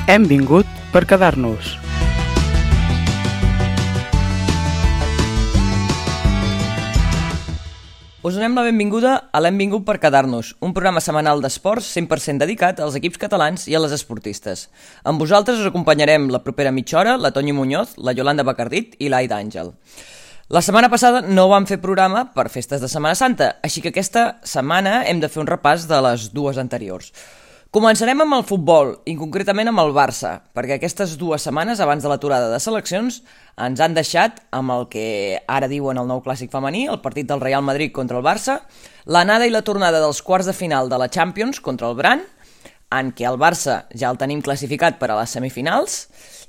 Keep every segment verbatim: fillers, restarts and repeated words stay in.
Hem vingut per quedar-nos. Us donem la benvinguda a l'Hem vingut per quedar-nos, un programa setmanal d'esports cent per cent dedicat als equips catalans i a les esportistes. Amb vosaltres us acompanyarem la propera mitja hora la Toñi Muñoz, la Yolanda Bacardit i l'Aida Àngel. La setmana passada no vam fer programa per festes de Setmana Santa, així que aquesta setmana hem de fer un repàs de les dues anteriors. Començarem amb el futbol, i concretament amb el Barça, perquè aquestes dues setmanes abans de l'aturada de seleccions ens han deixat amb el que ara diuen el nou clàssic femení, el partit del Real Madrid contra el Barça, l'anada i la tornada dels quarts de final de la Champions contra el Brann, en què el Barça ja el tenim classificat per a les semifinals,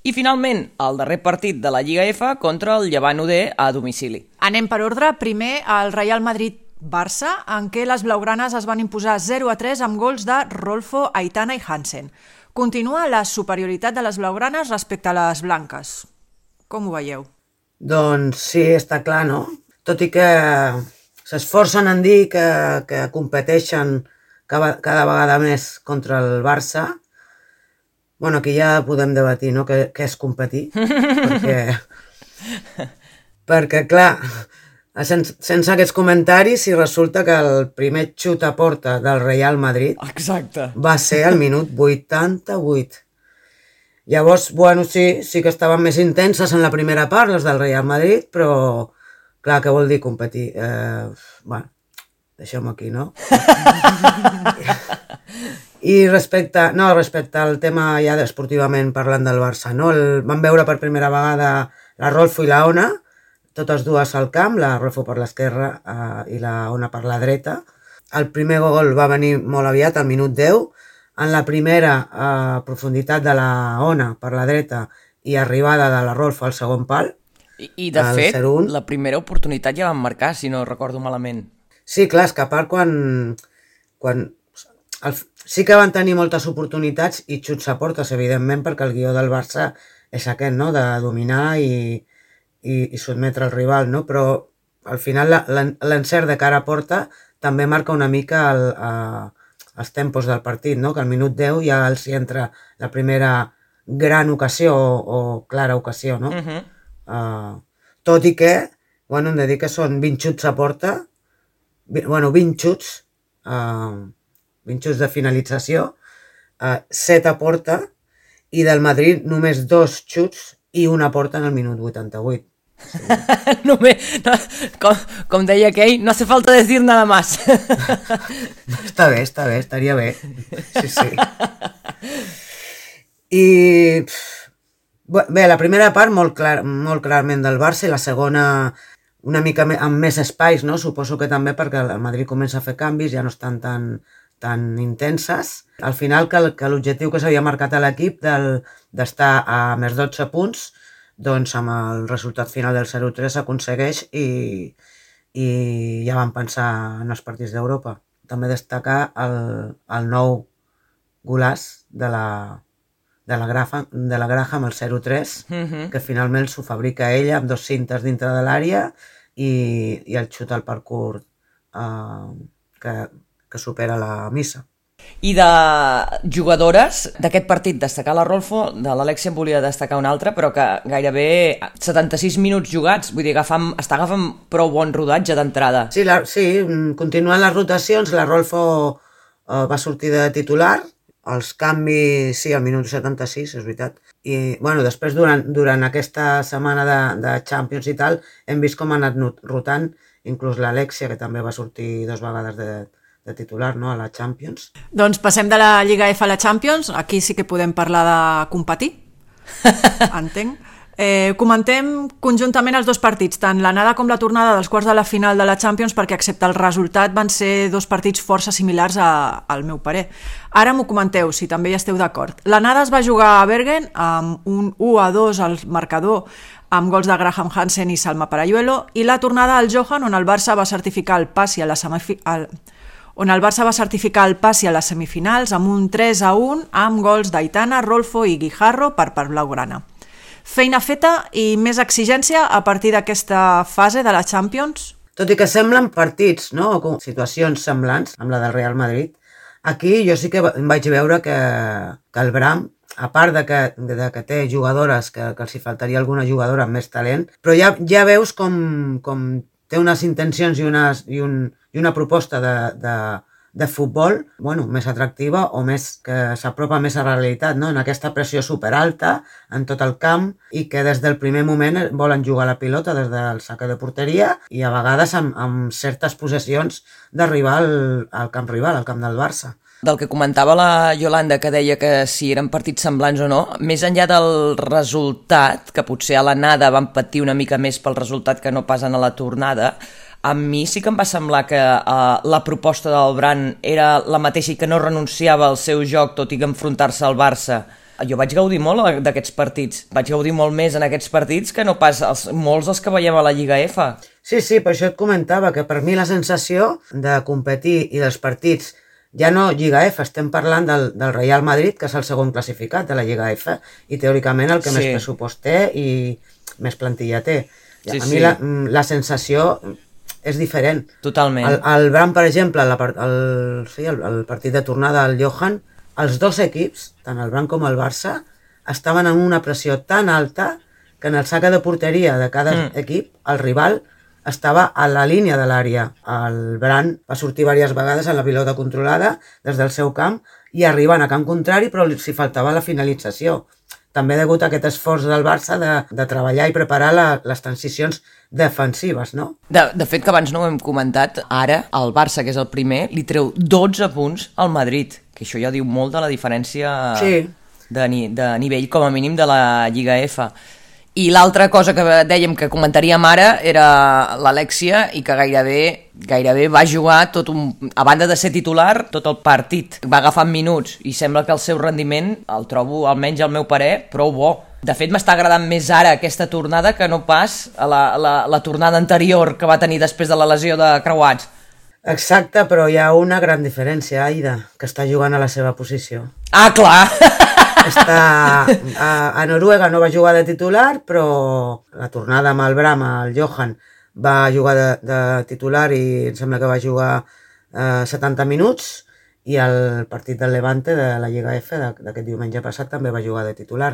i finalment el darrer partit de la Lliga F contra el Llevant U D a domicili. Anem per ordre. Primer, el Real Madrid-Barça, en què les blaugranes es van imposar zero a tres amb gols de Rolfo, Aitana i Hansen. Continua la superioritat de les blaugranes respecte a les blanques. Com ho veieu? Doncs sí, està clar, no? Tot i que s'esforcen en dir que, que competeixen cada, cada vegada més contra el Barça, bueno, aquí ja podem debatir, no?, què, què és competir, perquè, perquè, clar, sense, sense aquests comentaris, si resulta que el primer xut a porta del Real Madrid Exacte. va ser al minut vuitanta-vuit. Llavors, bueno, sí, sí que estaven més intenses en la primera part, les del Real Madrid, però, clar, què vol dir competir? Eh, bueno, deixem-ho aquí, no? I respecte, no, respecte al tema ja esportivament parlant del Barça, no? El, vam veure per primera vegada la Rolfo i la Ona, totes dues al camp, la Rolfo per l'esquerra eh, i la Ona per la dreta. El primer gol va venir molt aviat, al minut deu. En la primera eh, profunditat de la Ona per la dreta i arribada de la Rolfo al segon pal. I, i de fet, zero un. La primera oportunitat ja van marcar, si no recordo malament. Sí, clar, és que a part quan... quan el, sí que van tenir moltes oportunitats i xuts a portes, evidentment, perquè el guió del Barça és aquest, no?, de dominar i, i, i sotmetre el rival, no? Però al final l'encert de cara a porta també marca una mica el, a, els tempos del partit, no?, que al minut deu ja els hi entra la primera gran ocasió o, o clara ocasió, no? Uh-huh. uh, tot i que, bueno, hem de dir que són vint xuts a porta, bueno, vint xuts, uh, vint xuts de finalització, uh, set a porta, i del Madrid només dos xuts i una porta en el minut vuitanta-vuit. Sí. Només, no, com, com deia aquell, no hace falta decir nada más. Està bé, està bé, estaria bé. Sí, sí. I bé, la primera part molt, clar, molt clarament del Barça i la segona una mica amb més espais, no? Suposo que també perquè el Madrid comença a fer canvis, ja no estan tan, tan intenses. Al final, que, que l'objectiu que s'havia marcat a l'equip d'estar a més dotze punts, doncs amb el resultat final del zero tres s'aconsegueix i, i ja vam pensar en els partits d'Europa. També destacar el, el nou golaç de la, de la, Graham, de la Graham, el zero tres, uh-huh. que finalment s'ho fabrica ella amb dos cintes dintre de l'àrea i, i el xut al parkour uh, que, que supera la missa. I de jugadores d'aquest partit, destacar la Rolfo, de l'Alexia en volia destacar una altra, però que gairebé setanta-sis minuts jugats, vull dir, agafant, està agafant prou bon rodatge d'entrada. Sí, la, sí, continuant les rotacions, la Rolfo uh, va sortir de titular, els canvis, sí, al minut setanta-sis, és veritat. I, bueno, després, durant, durant aquesta setmana de, de Champions i tal, hem vist com ha anat rotant, inclús l'Alexia, que també va sortir dues vegades de, de titular, no?, a la Champions. Doncs passem de la Lliga F a la Champions. Aquí sí que podem parlar de competir, entenc. Eh, comentem conjuntament els dos partits, tant l'anada com la tornada dels quarts de la final de la Champions, perquè excepte el resultat van ser dos partits força similars a, al meu parer. Ara m'ho comenteu, si també hi esteu d'acord. L'anada es va jugar a Bergen amb un u a dos al marcador, amb gols de Graham Hansen i Salma Parayuelo, i la tornada al Johan, on el Barça va certificar el passi a la semifinal, on el Barça va certificar el passi a les semifinals amb un tres a un amb gols d'Aitana, Rolfo i Guijarro per part blaugrana. Feina feta i més exigència a partir d'aquesta fase de la Champions? Tot i que semblen partits, no?, o situacions semblants amb la del Real Madrid, aquí jo sí que vaig veure que, que el Brann a part de que, de que té jugadores, que, que els hi faltaria alguna jugadora amb més talent, però ja, ja veus com, com té unes intencions i, unes, i, un, i una proposta de, de, de futbol, bueno, més atractiva o més que s'apropa més a la realitat, no? En aquesta pressió superalta en tot el camp i que des del primer moment volen jugar la pilota des del saque de porteria i a vegades amb, amb certes possessions d'arribar al, al camp rival, al camp del Barça. Del que comentava la Yolanda, que deia que si eren partits semblants o no, més enllà del resultat, que potser a l'anada van patir una mica més pel resultat que no passen a la tornada, a mi sí que em va semblar que uh, la proposta del Bran era la mateixa i que no renunciava al seu joc, tot i que enfrontar-se al Barça. Jo vaig gaudir molt d'aquests partits. Vaig gaudir molt més en aquests partits que no pas els, molts dels que veiem a la Lliga F. Sí, sí, per això et comentava que per mi la sensació de competir i dels partits, ja no Lliga F, estem parlant del, del Real Madrid, que és el segon classificat de la Lliga F, i teòricament el que sí. més pressupost té i més plantilla té. Sí, a mi sí. la, la sensació és diferent. Totalment. El, el Bran, per exemple, la, el, sí, el, el partit de tornada del Johan, els dos equips, tant el Bran com el Barça, estaven en una pressió tan alta que en el saque de porteria de cada mm. equip, el rival estava a la línia de l'àrea. El Bran va sortir diverses vegades en la pilota controlada des del seu camp i arribant a camp contrari, però s'hi faltava la finalització. També degut a aquest esforç del Barça de, de treballar i preparar la, les transicions defensives, no? De, de fet, que abans no ho hem comentat, ara el Barça, que és el primer, li treu dotze punts al Madrid, que això ja diu molt de la diferència sí. de, de nivell, com a mínim, de la Lliga F. I l'altra cosa que dèiem que comentaríem ara era l'Alexia i que gairebé, gairebé va jugar tot un, a banda de ser titular, tot el partit. Va agafar minuts i sembla que el seu rendiment el trobo, almenys al meu parer, prou bo. De fet, m'està agradant més ara aquesta tornada que no pas a la, la, la tornada anterior que va tenir després de la lesió de creuats. Exacte, però hi ha una gran diferència, Aida, que està jugant a la seva posició. Ah, clar! Està, a, a Noruega no va jugar de titular, però la tornada amb el Bram, el Johan, va jugar de, de titular i em sembla que va jugar eh, setanta minuts, i el partit del Levante de la Lliga F d'aquest diumenge passat també va jugar de titular.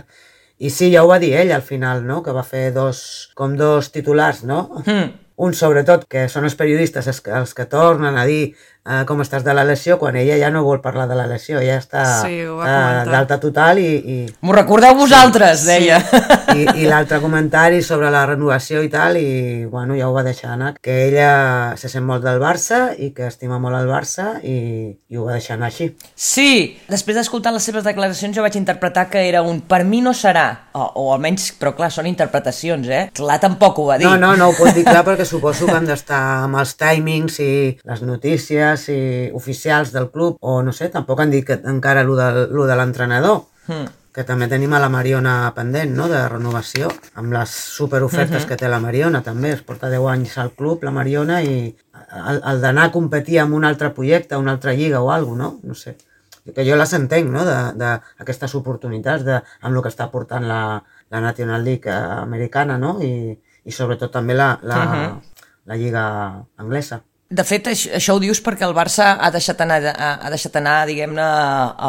I sí, ja ho va dir ell al final, no? Que va fer dos, com dos titulars, no? Mm. Un, sobretot, que són els periodistes els que, els que tornen a dir eh, com estàs de la lesió, quan ella ja no vol parlar de la lesió, ja està sí, eh, d'alta total i... i... M'ho recordeu vosaltres, sí, deia. Sí. I, i l'altre comentari sobre la renovació i tal, i bueno, ja ho va deixar anar, que ella se sent molt del Barça i que estima molt el Barça i, i ho va deixar anar així. Sí, després d'escoltar les seves declaracions jo vaig interpretar que era un per mi no serà, o, o almenys, però clar, són interpretacions, eh? Clar, tampoc ho va dir. No, no, no ho pot dir clar perquè suposo que han d'estar amb els timings i les notícies i oficials del club, o no sé, tampoc han dit que encara lo de, lo de l'entrenador, mm. que també tenim a la Mariona pendent, no?, de renovació, amb les superofertes mm-hmm. que té la Mariona, també, es porta deu anys al club, la Mariona, i el, el d'anar a competir amb un altre projecte, una altra lliga o alguna cosa, no? No sé, que jo les entenc, no?, d'aquestes oportunitats, de, amb el que està portant la, la National League americana, no?, i i sobretot també la, la, uh-huh. la lliga anglesa. De fet, això, això ho dius perquè el Barça ha deixat anar, ha deixat anar diguem-ne,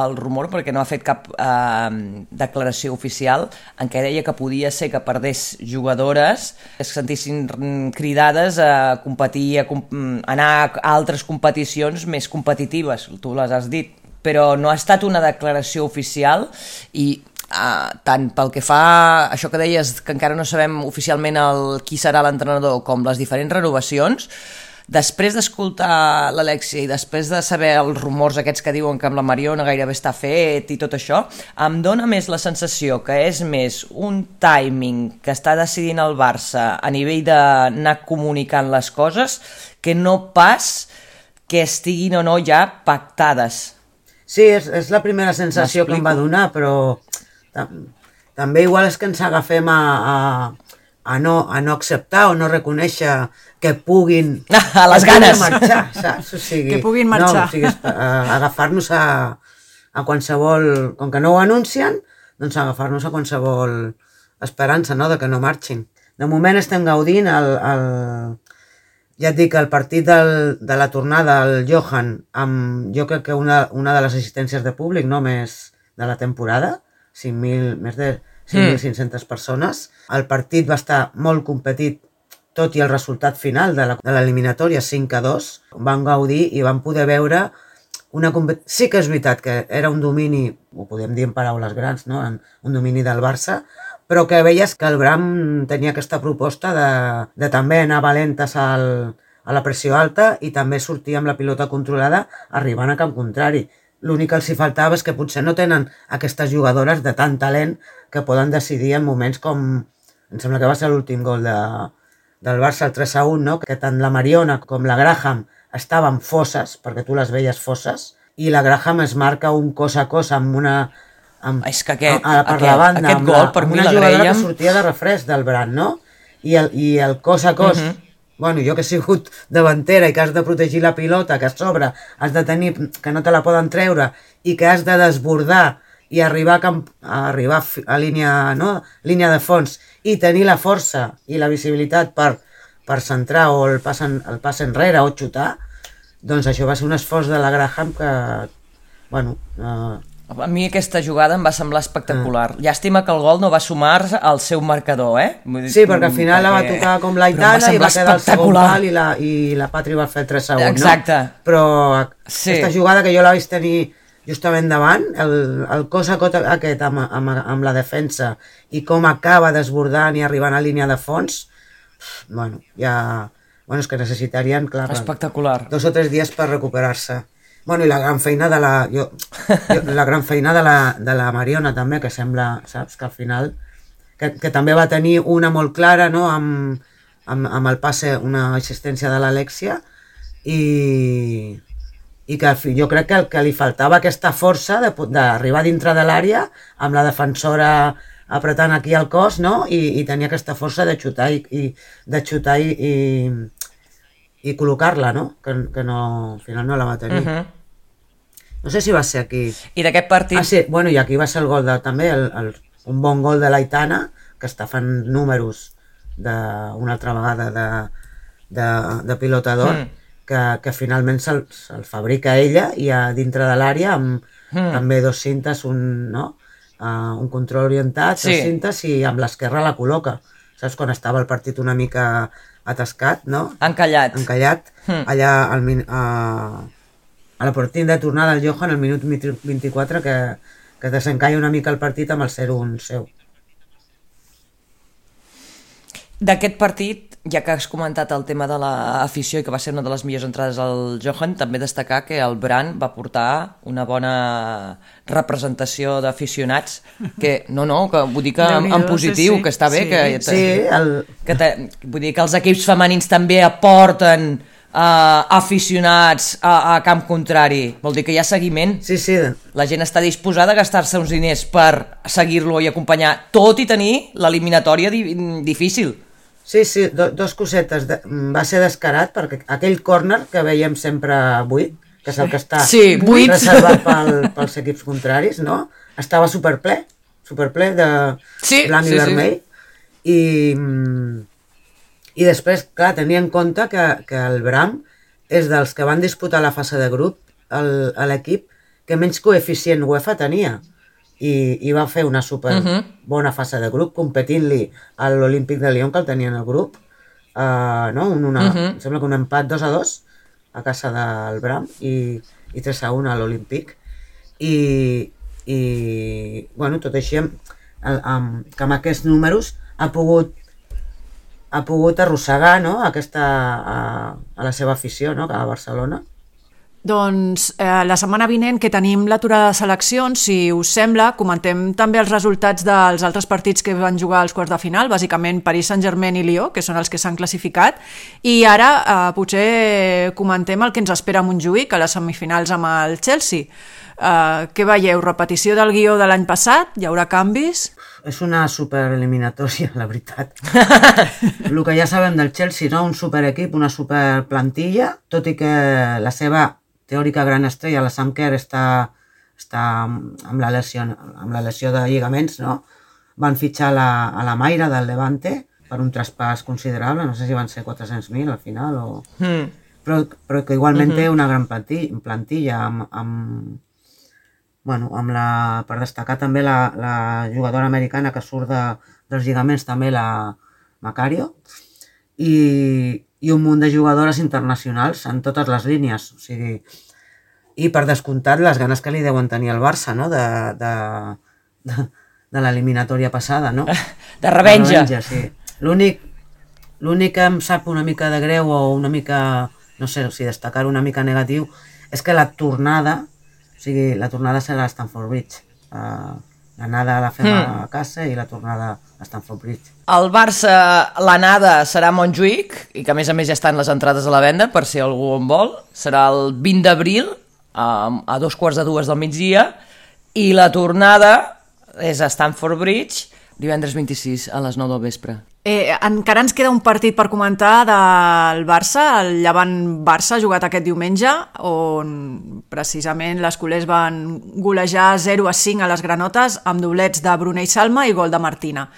el rumor, perquè no ha fet cap eh, declaració oficial en què deia que podia ser que perdés jugadores que es sentissin cridades a competir, a, a anar a altres competicions més competitives, tu les has dit, però no ha estat una declaració oficial i Uh, tant pel que fa a això que deies, que encara no sabem oficialment el, qui serà l'entrenador, com les diferents renovacions, després d'escoltar l'Alexia i després de saber els rumors aquests que diuen que amb la Mariona gairebé està fet i tot això, em dóna més la sensació que és més un timing que està decidint el Barça a nivell d'anar comunicant les coses que no pas que estiguin o no ja pactades. Sí, és, és la primera sensació que em va donar, però també igual és que ens agafem a, a, a, no, a no acceptar o no reconèixer que puguin a les ganes marxar, saps? O sigui, que puguin marxar, no, o sigui, a, agafar-nos a, a qualsevol, com que no ho anuncien, doncs agafar-nos a qualsevol esperança, no?, de que no marxin. De moment estem gaudint el, el, ja et dic, el partit del, de la tornada al Johan, amb jo crec que una, una de les assistències de públic, no més de la temporada, cinc mil, més de cinc mil cinc-centes persones. El partit va estar molt competit, tot i el resultat final de l'eliminatòria cinc a dos. Van gaudir i van poder veure una competició. Sí que és veritat que era un domini, ho podem dir en paraules grans, no? Un domini del Barça, però que veies que el Bram tenia aquesta proposta de, de també anar valentes al, a la pressió alta i també sortir amb la pilota controlada arribant a camp contrari. L'únic que els hi faltava és que potser no tenen aquestes jugadores de tant talent que poden decidir en moments com... Em sembla que va ser l'últim gol de, del Barça, el tres a un, no? Que tant la Mariona com la Graham estaven fosses, perquè tu les veies fosses, i la Graham es marca un cos a cos amb una... Amb, és que aquest, a, a, per aquest, la banda, aquest gol, la, per mi una l'agraïem... jugadora que sortia de refresc del Bran, no? I el, i el cos a cos... Uh -huh. Bueno, jo que he sigut davantera i que has de protegir la pilota, que a sobre has de tenir, que no te la poden treure, i que has de desbordar i arribar a, camp, a, arribar a línia, no? línia de fons i tenir la força i la visibilitat per, per centrar o el pas, en, el pas enrere o xutar, doncs això va ser un esforç de la Graham que, bueno... Eh, A mi aquesta jugada em va semblar espectacular. Ah. Llàstima que el gol no va sumar al seu marcador, eh? Sí, perquè al final perquè... la va tocar com l'Aitana i va quedar el segon pal i la, i la Patri va fer el tres a un, exacte. No? Però sí. Aquesta jugada que jo la vaig tenir justament davant, el, el cos a cot aquest amb, amb, amb la defensa i com acaba desbordant i arribant a línia de fons, bueno, ja... Bueno, és que necessitarien, clar, espectacular. Dos o tres dies per recuperar-se. Bueno, i la gran feina de la... Jo, jo, la gran feina de la, de la Mariona també, que sembla, saps, que al final... Que, que també va tenir una molt clara, no?, amb, amb, amb el passe, una assistència de l'Alexia, i, i que jo crec que, que li faltava aquesta força d'arribar dintre de l'àrea amb la defensora apretant aquí el cos, no?, i, i tenia aquesta força de xutar i, i de xutar i, i, i col·locar-la, no?, que, que no, al final no la va tenir. Uh-huh. No sé si va ser aquí. I d'aquest partit... Ah, sí, bueno, i aquí va ser el gol de, també, el, el, un bon gol de l'Aitana, que està fent números d'una altra vegada de, de, de pilotador, mm. que, que finalment se'l se fabrica ella i a dintre de l'àrea amb mm. també dos cintes, un, no? uh, un control orientat, sí. dos cintes, i amb l'esquerra la col·loca. Saps, quan estava el partit una mica atascat, no? Encallat. Encallat, mm. allà al, a, a la partida de tornada del Johan, al minut vint-i-quatre, que, que desencalla una mica el partit amb el zero un seu. D'aquest partit, ja que has comentat el tema de l'afició i que va ser una de les millors entrades al Johan, també destacar que el Bran va portar una bona representació d'aficionats, que no, no, que vull dir que en, en positiu, sí, que està bé, sí, que, sí, el... que te, vull dir que els equips femenins també aporten Uh, aficionats a, a camp contrari, vol dir que hi ha seguiment. Sí, sí. La gent està disposada a gastar-se uns diners per seguir-lo i acompanyar, tot i tenir l'eliminatòria di difícil. Sí, sí, do, dos cosetes. De, va ser descarat perquè aquell córner que veiem sempre buit, que és el que està sí, reservat pel, pels equips contraris, no? Estava superple, superple de sí, blanc sí, i vermell, sí. i... I després, clar, tenia en compte que, que el Bram és dels que van disputar la fase de grup a l'equip que menys coeficient UEFA tenia. I, i va fer una super uh-huh. bona fase de grup, competint-li a l'Olímpic de Lyon, que el tenia en el grup. Uh, no? un, una, uh-huh. Em sembla que un empat dos a dos a casa del Bram i, i tres a un a l'Olímpic. I, i, bueno, tot així, amb, amb, que amb aquests números ha pogut ha pogut arrossegar, no?, aquesta, a, a la seva afició, no?, a Barcelona. Doncs eh, la setmana vinent, que tenim l'aturada de seleccions, si us sembla, comentem també els resultats dels altres partits que van jugar als quarts de final, bàsicament Paris Saint-Germain i Lió, que són els que s'han classificat, i ara eh, potser comentem el que ens espera a Montjuïc, a les semifinals amb el Chelsea. Eh, què veieu? Repetició del guió de l'any passat? Hi haurà canvis? És una supereliminatòria, la veritat. El que ja sabem del Chelsea, no? Un superequip, una superplantilla, tot i que la seva teòrica gran estrella, la Sam Kerr, està, està amb, la lesió, amb la lesió de lligaments, no? Van fitxar la, a la Mayra del Levante per un traspàs considerable, no sé si van ser quatre-cents mil al final, o... mm. però, però que igualment mm-hmm. té una gran plantilla, plantilla amb, amb, bueno, amb la, per destacar també la, la jugadora americana que surt de, dels lligaments, també la Macario, i, i un munt de jugadores internacionals en totes les línies, o sigui, i per descomptat les ganes que li deuen tenir al Barça, no?, de, de, de, de l'eliminatòria passada, no? De revenja. De revenja, sí. L'únic, l'únic que em sap una mica de greu o una mica, no sé si destacar una mica negatiu, és que la tornada, o sigui, la tornada serà a Stamford Bridge. Uh, l'anada la fem mm. a casa i la tornada a Stamford Bridge. El Barça, l'anada serà a Montjuïc, i que a més a més ja estan les entrades a la venda, per si algú en vol. Serà el vint d'abril, a, a dos quarts de dues del migdia, i la tornada és a Stamford Bridge, divendres vint-i-sis a les nou del vespre. Eh, encara ens queda un partit per comentar del Barça, el Llevant-Barça, jugat aquest diumenge, on precisament les culers van golejar zero a cinc a les granotes amb doblets de Brunei Salma i gol de Martina.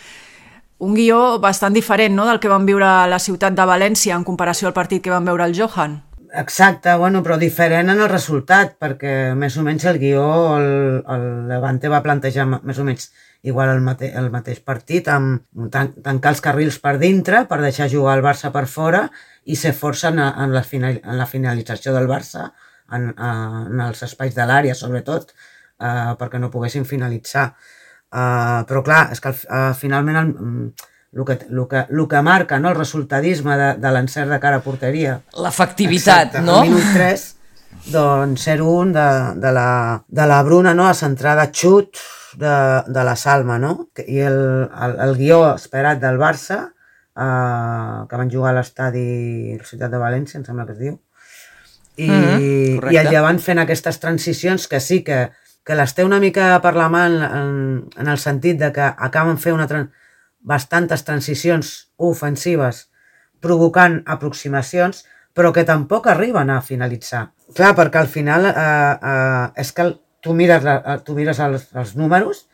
Un guió bastant diferent, no?, del que van viure a la ciutat de València en comparació al partit que van veure el Johan. Exacte, bueno, però diferent en el resultat, perquè més o menys el guió, el, el Levante va plantejar més o menys igual el, mate, el mateix partit, amb tan, tancar els carrils per dintre per deixar jugar el Barça per fora i ser força en, en, la, final, en la finalització del Barça, en, en els espais de l'àrea, sobretot, eh, perquè no poguessin finalitzar. Eh, però clar, és que eh, finalment el, el, que, el, que, el que marca, no?, el resultadisme de, de l'encert de cara a porteria. L'efectivitat, exacte, no? Al minut tres, doncs zero un de, de, la, de la Bruna, no?, a centrada xut, De, de la Salma, no? I el, el, el guió esperat del Barça, eh, que van jugar a l'estadi Ciutat de València, em sembla que es diu, i, mm-hmm, i el Llevant fent aquestes transicions que sí que, que les té una mica per la mà en, en, en el sentit de que acaben fent una tran bastantes transicions ofensives provocant aproximacions, però que tampoc arriben a finalitzar. Clar, perquè al final eh, eh, és que el, tu mires, la, tu mires els, els números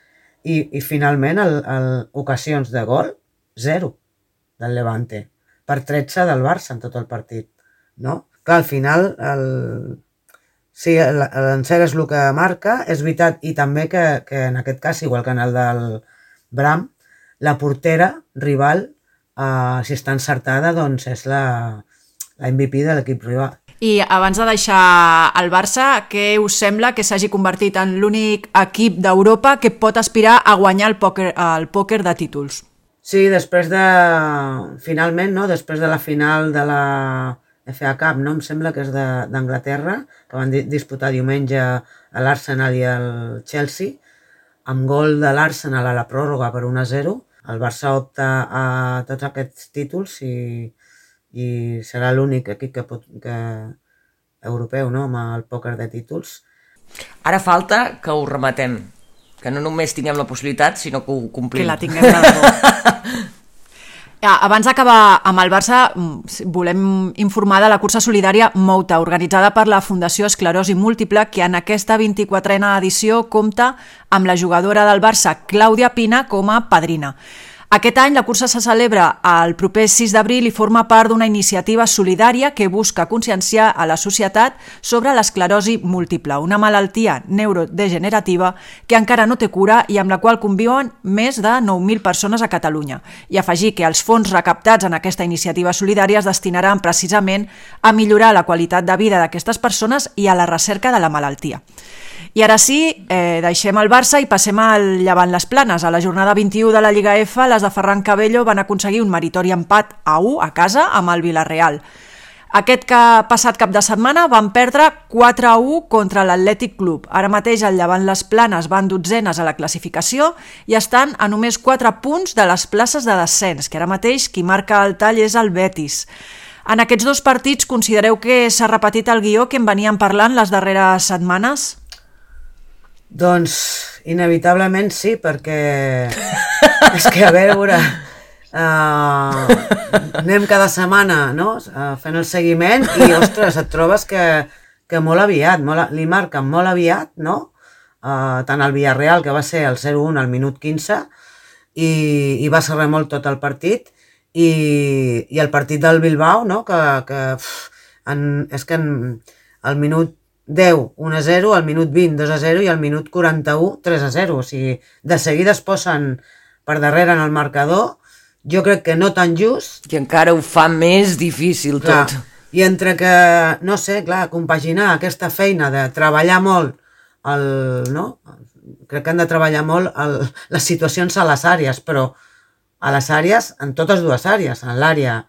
i, i finalment el, el, ocasions de gol, zero del Levante, per tretze del Barça en tot el partit, no? Clar, al final, el, sí, l'encert és el que marca, és veritat, i també que, que en aquest cas, igual que en el del Bram, la portera rival, eh, si està encertada, doncs és la, la M V P de l'equip rival. I abans de deixar el Barça, què us sembla que s'hagi convertit en l'únic equip d'Europa que pot aspirar a guanyar el pòquer, el pòquer de títols? Sí, després de... Finalment, no?, després de la final de la F A Cup, no?, em sembla que és d'Anglaterra, que van disputar diumenge a l'Arsenal i al Chelsea, amb gol de l'Arsenal a la pròrroga per un a zero. El Barça opta a tots aquests títols i... i serà l'únic equip que pot, que, europeu, no?, amb el pòquer de títols. Ara falta que ho rematem, que no només tinguem la possibilitat, sinó que ho complim. Que la tinguem de debò. Abans d'acabar amb el Barça, volem informar de la cursa solidària Mouta, organitzada per la Fundació Esclerosi Múltiple, que en aquesta vint-i-quatrena edició compta amb la jugadora del Barça, Clàudia Pina, com a padrina. Aquest any la cursa se celebra el proper sis d'abril i forma part d'una iniciativa solidària que busca conscienciar a la societat sobre l'esclerosi múltiple, una malaltia neurodegenerativa que encara no té cura i amb la qual conviuen més de nou mil persones a Catalunya. I afegir que els fons recaptats en aquesta iniciativa solidària es destinaran precisament a millorar la qualitat de vida d'aquestes persones i a la recerca de la malaltia. I ara sí, eh, deixem el Barça i passem al Llevant les Planes. A la jornada vint-i-u de la Lliga F, les de Ferran Cabello van aconseguir un meritori empat a u a casa amb el Villarreal. Aquest que passat cap de setmana van perdre quatre a u contra l'Atlètic Club. Ara mateix el Llevant les Planes van dotzenes a la classificació i estan a només quatre punts de les places de descens, que ara mateix qui marca el tall és el Betis. En aquests dos partits considereu que s'ha repetit el guió que en veníem parlant les darreres setmanes? Doncs inevitablement sí, perquè és que a veure, uh, anem cada setmana, no?, uh, fent el seguiment i, ostres, et trobes que, que molt aviat, molt, li marquen molt aviat, no?, uh, tant el Villarreal, que va ser el zero un al minut quinze, i, i va ser remolc tot el partit, i, i el partit del Bilbao, no?, que, que pff, en, és que en, al minut deu, un a zero, al minut vint, dos a zero i al minut quaranta-u, tres a zero. O sigui, de seguida es posen per darrere en el marcador. Jo crec que no tan just. I encara ho fa més difícil clar, tot. I entre que, no sé, clar, compaginar aquesta feina de treballar molt, el, no? Crec que han de treballar molt el, les situacions a les àrees, però a les àrees, en totes dues àrees, en l'àrea,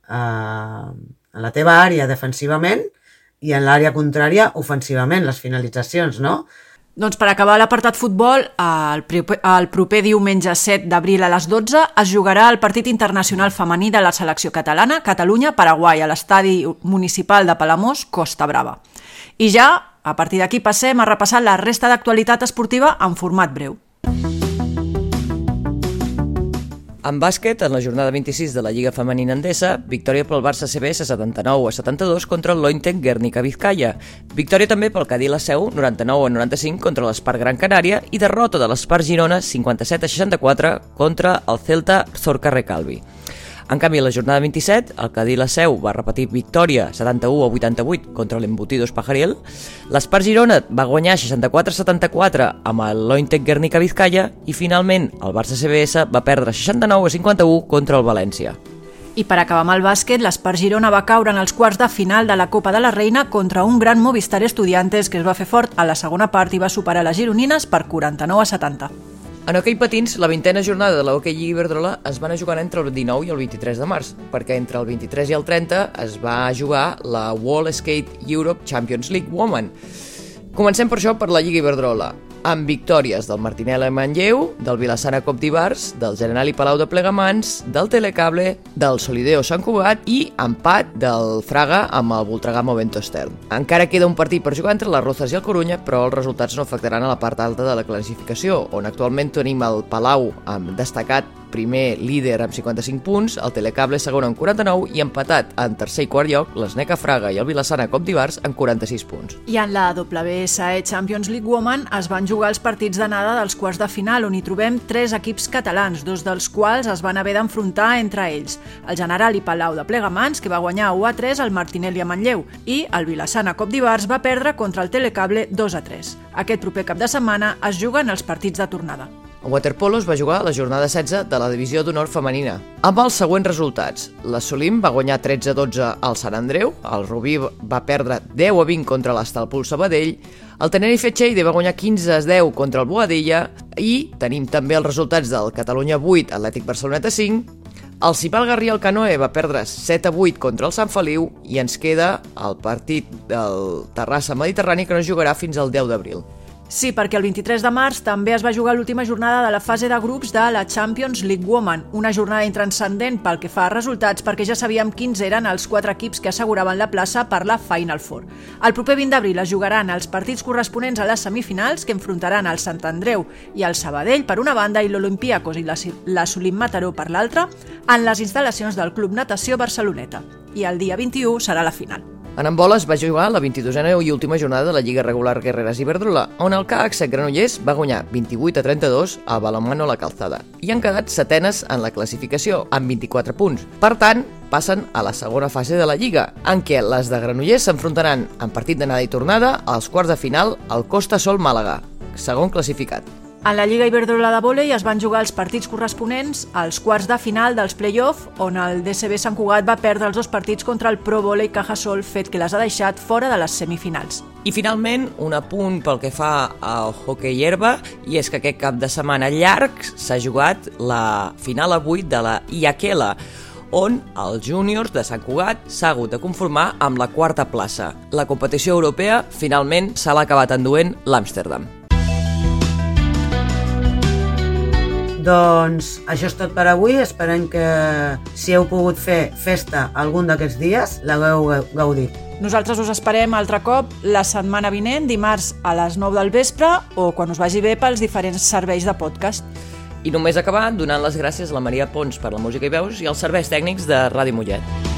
eh, en la teva àrea defensivament i en l'àrea contrària ofensivament, les finalitzacions, no? Doncs per acabar l'apartat futbol, el proper, el proper diumenge set d'abril a les dotze es jugarà el partit internacional femení de la selecció catalana, Catalunya-Paraguai, a l'estadi municipal de Palamós, Costa Brava. I ja, a partir d'aquí, passem a repassar la resta d'actualitat esportiva en format breu. En bàsquet, en la jornada vint-i-sis de la Lliga Femenina Endesa, victòria pel Barça C B S setanta-nou a setanta-dos contra el Lointe Guernica Vizcaya. Victòria també pel Cadí la Seu noranta-nou a noranta-cinc contra l'Espart Gran Canària i derrota de l'Espart Girona cinquanta-set a seixanta-quatre contra el Celta Zorca Recalvi. En canvi, a la jornada vint-i-set, el Cadí la Seu va repetir victòria setanta-u a vuitanta-vuit contra l'Embutidos Pajaril, l'Espart Girona va guanyar seixanta-quatre a setanta-quatre amb el Lointe Guernica Vizcaya i finalment el Barça C B S va perdre seixanta-nou a cinquanta-u contra el València. I per acabar amb el bàsquet, l'Espart Girona va caure en els quarts de final de la Copa de la Reina contra un gran Movistar Estudiantes que es va fer fort a la segona part i va superar les gironines per quaranta-nou a setanta. En hoquei patins, la vintena jornada de la Hockey Lliga Iberdrola es va anar jugant entre el dinou i el vint-i-tres de març, perquè entre el vint-i-tres i el trenta es va jugar la World Skate Europe Champions League Women. Comencem per això per la Lliga Iberdrola, amb victòries del Martinelli Manlleu, del Vilassana Cop d'Ivars, del Generali Palau de Plegamans, del Telecable, del Solideo Sant Cugat i empat del Fraga amb el Voltregà Movento Stern. Encara queda un partit per jugar entre les Rozas i el Corunya, però els resultats no afectaran a la part alta de la classificació, on actualment tenim el Palau amb destacat primer líder amb cinquanta-cinc punts, el Telecable segon amb quaranta-nou i empatat en tercer i quart lloc l'Sneca Fraga i el Vilassana Cop d'Ivars amb quaranta-sis punts. I en la W S E Champions League Women es van jugar els partits d'anada dels quarts de final, on hi trobem tres equips catalans, dos dels quals es van haver d'enfrontar entre ells. El Generali Palau de Plegamans, que va guanyar u a tres al Martinelli a Manlleu, i el Vilassana Cop d'Ivars va perdre contra el Telecable dos a tres. Aquest proper cap de setmana es juguen els partits de tornada. En waterpolo es va jugar la jornada setze de la divisió d'honor femenina, amb els següents resultats. La Solim va guanyar tretze a dotze al Sant Andreu, el Rubí va perdre deu a vint contra l'Estalpul Sabadell, el Tenerife Cheide va guanyar quinze a deu contra el Boadilla i tenim també els resultats del Catalunya vuit, Atlètic Barceloneta cinc, el Cipal Garrià al Canoe va perdre set a vuit contra el Sant Feliu i ens queda el partit del Terrassa Mediterrani que no jugarà fins al deu d'abril. Sí, perquè el vint-i-tres de març també es va jugar l'última jornada de la fase de grups de la Champions League Women, una jornada intranscendent pel que fa a resultats perquè ja sabíem quins eren els quatre equips que asseguraven la plaça per la Final Four. El proper vint d'abril es jugaran els partits corresponents a les semifinals que enfrontaran el Sant Andreu i el Sabadell per una banda i l'Olympiacos i la, la Solim Mataró per l'altra en les instal·lacions del Club Natació Barceloneta. I el dia vint-i-u serà la final. En handbol es va jugar la vint-i-dosena i última jornada de la Lliga Regular Guerreres Iberdrola, on el K H Granollers va guanyar vint-i-vuit a trenta-dos a Balonmano La Calzada i han quedat setenes en la classificació, amb vint-i-quatre punts. Per tant, passen a la segona fase de la Lliga, en què les de Granollers s'enfrontaran en partit d'anada i tornada als quarts de final al Costa Sol Màlaga, segon classificat. En la Lliga Iberdrola de vòlei es van jugar els partits corresponents als quarts de final dels play-off, on el D C B Sant Cugat va perdre els dos partits contra el Pro Vòlei Cajasol, fet que les ha deixat fora de les semifinals. I finalment, un apunt pel que fa al hoquei herba, i és que aquest cap de setmana llarg s'ha jugat la final avui de la Iaquela, on els júniors de Sant Cugat s'ha hagut de conformar amb la quarta plaça. La competició europea finalment se l'ha acabat enduent l'Amsterdam. Doncs això és tot per avui. Esperem que si heu pogut fer festa algun d'aquests dies, l'hagueu gaudit. Nosaltres us esperem altre cop la setmana vinent, dimarts a les nou del vespre o quan us vagi bé pels diferents serveis de podcast. I només acabar donant les gràcies a la Maria Pons per la música i veus i als serveis tècnics de Ràdio Mollet.